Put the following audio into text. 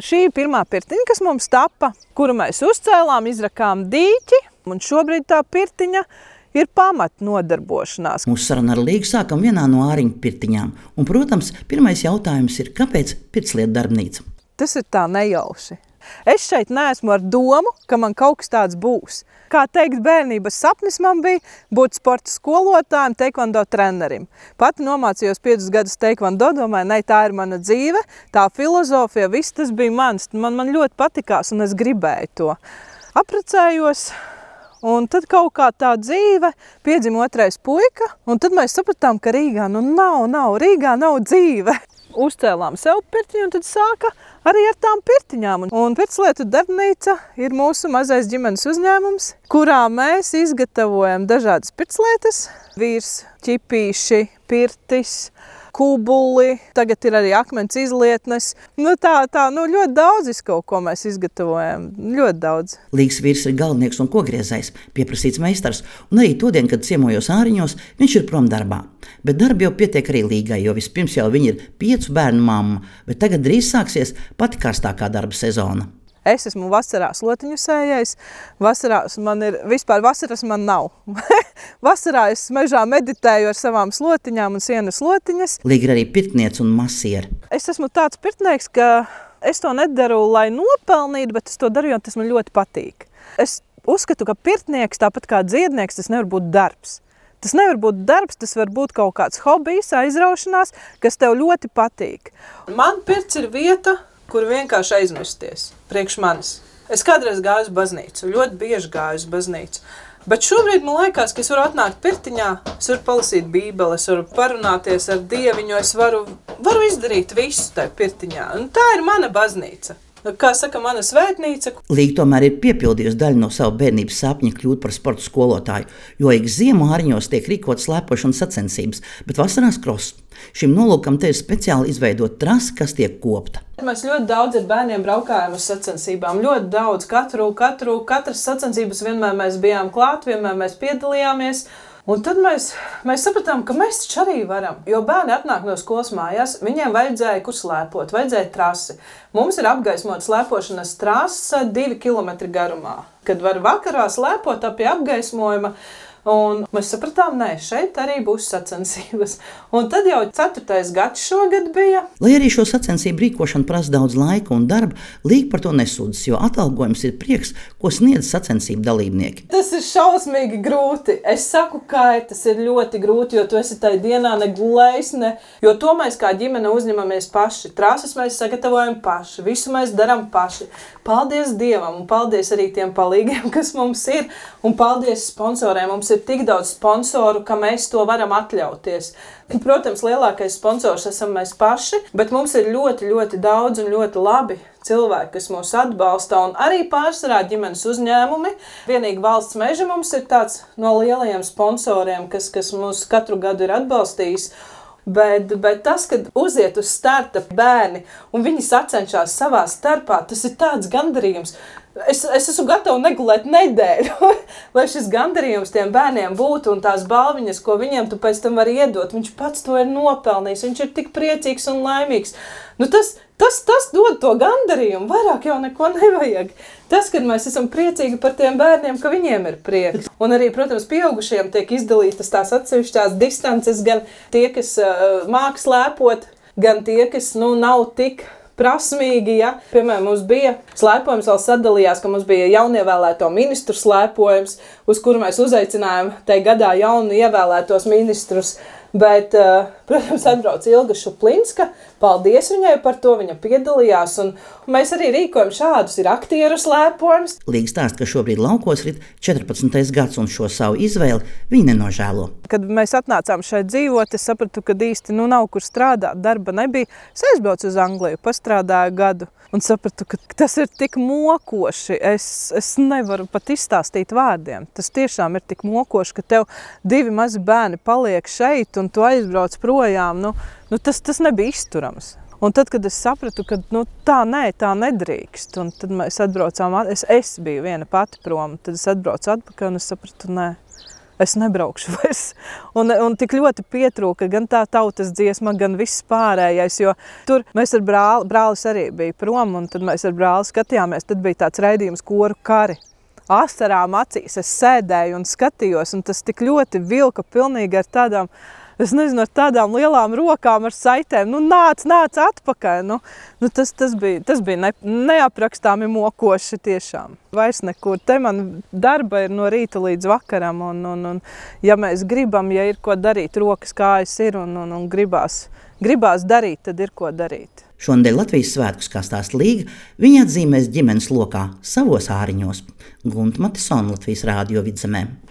šī ir pirmā pirtiņa, kas mums tapa, kuru mēs uzcēlām, izrakām dīķi, un šobrīd tā pirtiņa ir pamatnodarbošanās. Mūsu saruna ar Līgu sākam vienā no Āriņu pirtiņām. Un, protams, pirmais jautājums ir, kāpēc pirtslietu darbnīca? Tas ir tā nejauši. Es šeit neesmu ar domu, ka man kaut kas tāds būs. Kā teikt, bērnības sapnis man bija būt sporta skolotājiem, teikvando trenerim. Pati nomācījos 5 gadus teikvando, domāju, ne, tā ir mana dzīve, tā filozofija, viss tas bija mans. Man ļoti patikās un es gribēju to. Apprecējos, un tad kaut kā tā dzīve, piedzima otrais puika, un tad mēs sapratām, ka Rīgā Rīgā nav dzīve. Uzcēlām sev pirtiņu un tad sāka arī ar tām pirtiņām. Un pirtslietu darbnīca ir mūsu mazais ģimenes uzņēmums, kurā mēs izgatavojam dažādas pirtslietas. Vīrs, ķipīši, pirtis, kubuli, tagad ir arī akmens izlietnes. Ļoti daudz kaut ko mēs izgatavojam, ļoti daudz. Līgas vīrs ir galdnieks un kogriezējs, pieprasīts meistars, un arī todien, kad ciemojos Āriņos, viņš ir prom darbā. Bet darbi jau pietiek arī Līgai, jo vispirms jau viņa ir 5 bērnu mamma, bet tagad drīz sāksies pati karstākā darba sezona. Es esmu vasarā slotiņu sējējs, vasaras man nav. Vasarā es mežā meditēju ar savām slotiņām un sienas slotiņas. Līga ir arī pirtniece un masiere. Es esmu tāds pirtnieks, ka es to nedaru, lai nopelnītu, bet es to daru, jo tas man ļoti patīk. Es uzskatu, ka pirtnieks, tāpat kā dziednieks, tas nevar būt darbs. Tas nevar būt darbs, tas var būt kaut kāds hobijs, aizraušanās, kas tev ļoti patīk. Man pirts ir vieta, kur vienkārši aizmirsties priekš manis. Es kādreiz gāju uz baznīcu, ļoti bieži gāju uz baznīcu. Bet šobrīd man liekas, ka es varu atnākt pirtiņā, es varu palasīt Bībeli, es varu parunāties ar Dieviņu, es varu izdarīt visu tajā pirtiņā. Un tā ir mana baznīca. Kā saka mana svētnīca. Līga tomēr ir piepildījusi daļu no savu bērnības sapņa kļūt par sporta skolotāju, jo ik ziemu Āriņos tiek rīkotas slēpošanas sacensības, bet vasarās kross. Šim nolūkam te ir speciāli izveidot trasi, kas tiek kopta. Mēs ļoti daudz ar bērniem braukājam uz sacensībām, ļoti daudz, katras sacensības vienmēr mēs bijām klāt, vienmēr mēs piedalījāmies. Un tad mēs sapratām, ka mēs taču arī varam, jo bērni atnāk no skolas mājās, viņiem vajadzēja kur slēpot, vajadzēja trasi. Mums ir apgaismota slēpošanas trasa 2 kilometri garumā, kad var vakarā slēpot pie apgaismojuma. Un mēs sapratām, šeit arī būs sacensības. Un tad jau 4. gads šogad bija. Lai arī šo sacensību rīkošana prasa daudz laika un darba, Līga par to nesūdzas, jo atalgojums ir prieks, ko sniedz sacensību dalībnieki. Tas ir šausmīgi grūti. Es saku, ka tas ir ļoti grūti, jo tu esi tajā dienā negulējis, jo to mēs kā ģimene uzņemamies paši. Trases mēs sagatavojam paši, visu mēs darām paši. Paldies Dievam un paldies arī tiem palīgiem, kas mums ir, un paldies sponsoriem. Mums ir tik daudz sponsoru, ka mēs to varam atļauties. Protams, lielākais sponsors esam mēs paši, bet mums ir ļoti, ļoti daudz un ļoti labi cilvēki, kas mūs atbalsta, un arī pārsvarā ģimenes uzņēmumi. Vienīgi Valsts meži mums ir tāds no lielajiem sponsoriem, kas mūs katru gadu ir atbalstījis. Bet tas, kad uziet uz starta bērni un viņi sacenšās savā starpā, tas ir tāds gandarījums. Es esmu gatava negulēt nedēļu, lai šis gandarījums tiem bērniem būtu un tās balviņas, ko viņiem tu pēc tam vari iedot. Viņš pats to ir nopelnījis, viņš ir tik priecīgs un laimīgs. Tas dod to gandarījumu, vairāk jau neko nevajag. Tas, kad mēs esam priecīgi par tiem bērniem, ka viņiem ir prieks. Un arī, protams, pieaugušiem tiek izdalītas tās atsevišķās distances, gan tie, kas māk slēpot, gan tie, kas nav tik prasmīgi, ja. Piemēram, mums bija slēpojums, vēl sadalījās, ka mums bija jaunievēlēto ministru slēpojums, uz kuru mēs uzaicinājām tajā gadā jaunu ievēlētos ministrus. Bet, protams, atbrauc Ilga Šuplinska. Paldies viņai par to, viņa piedalījās. Un mēs arī rīkojam šādus, ir aktieru slēpojums. Līga stāsta, ka šobrīd laukos rit 14. gads un šo savu izvēli viņi nenožēlo. Kad mēs atnācām šeit dzīvot, es sapratu, ka īsti nav kur strādāt, darba nebija. Es aizbraucu uz Angliju, pastrādāju gadu un sapratu, ka tas ir tik mokoši. Es nevaru pat izstāstīt vārdiem. Tas tiešām ir tik mokoši, ka tev 2 mazi bērni paliek šeit un tu aizbrauc projām. Tas nebija izturams. Un tad, kad es sapratu, ka tā nedrīkst, un tad mēs atbraucām, es biju viena pati prom, tad es atbraucu atpakaļ un es sapratu, es nebraukšu vairs. Un tik ļoti pietrūka gan tā tautas dziesma, gan viss pārējais, jo tur mēs ar brālis arī bija prom, un tad mēs ar brāli skatījāmies, tad bija tāds raidījums Koru kari. Asarām acīs es sēdēju un skatījos, un tas tik ļoti vilka pilnīgi ar tādām, es nezinu, ar tādām lielām rokām ar saitēm, nāc atpakaļ. Tas bija neaprakstāmi mokoši tiešām. Vairs nekur. Te man darba ir no rīta līdz vakaram, un ja mēs gribam, ja ir ko darīt, rokas kājas ir, un gribās darīt, tad ir ko darīt. Šonadēļ Latvijas svētkus, kā stāsta Līga, viņa atzīmēs ģimenes lokā savos āriņos. Gunta Matisona, Latvijas Rādio Vidzemē.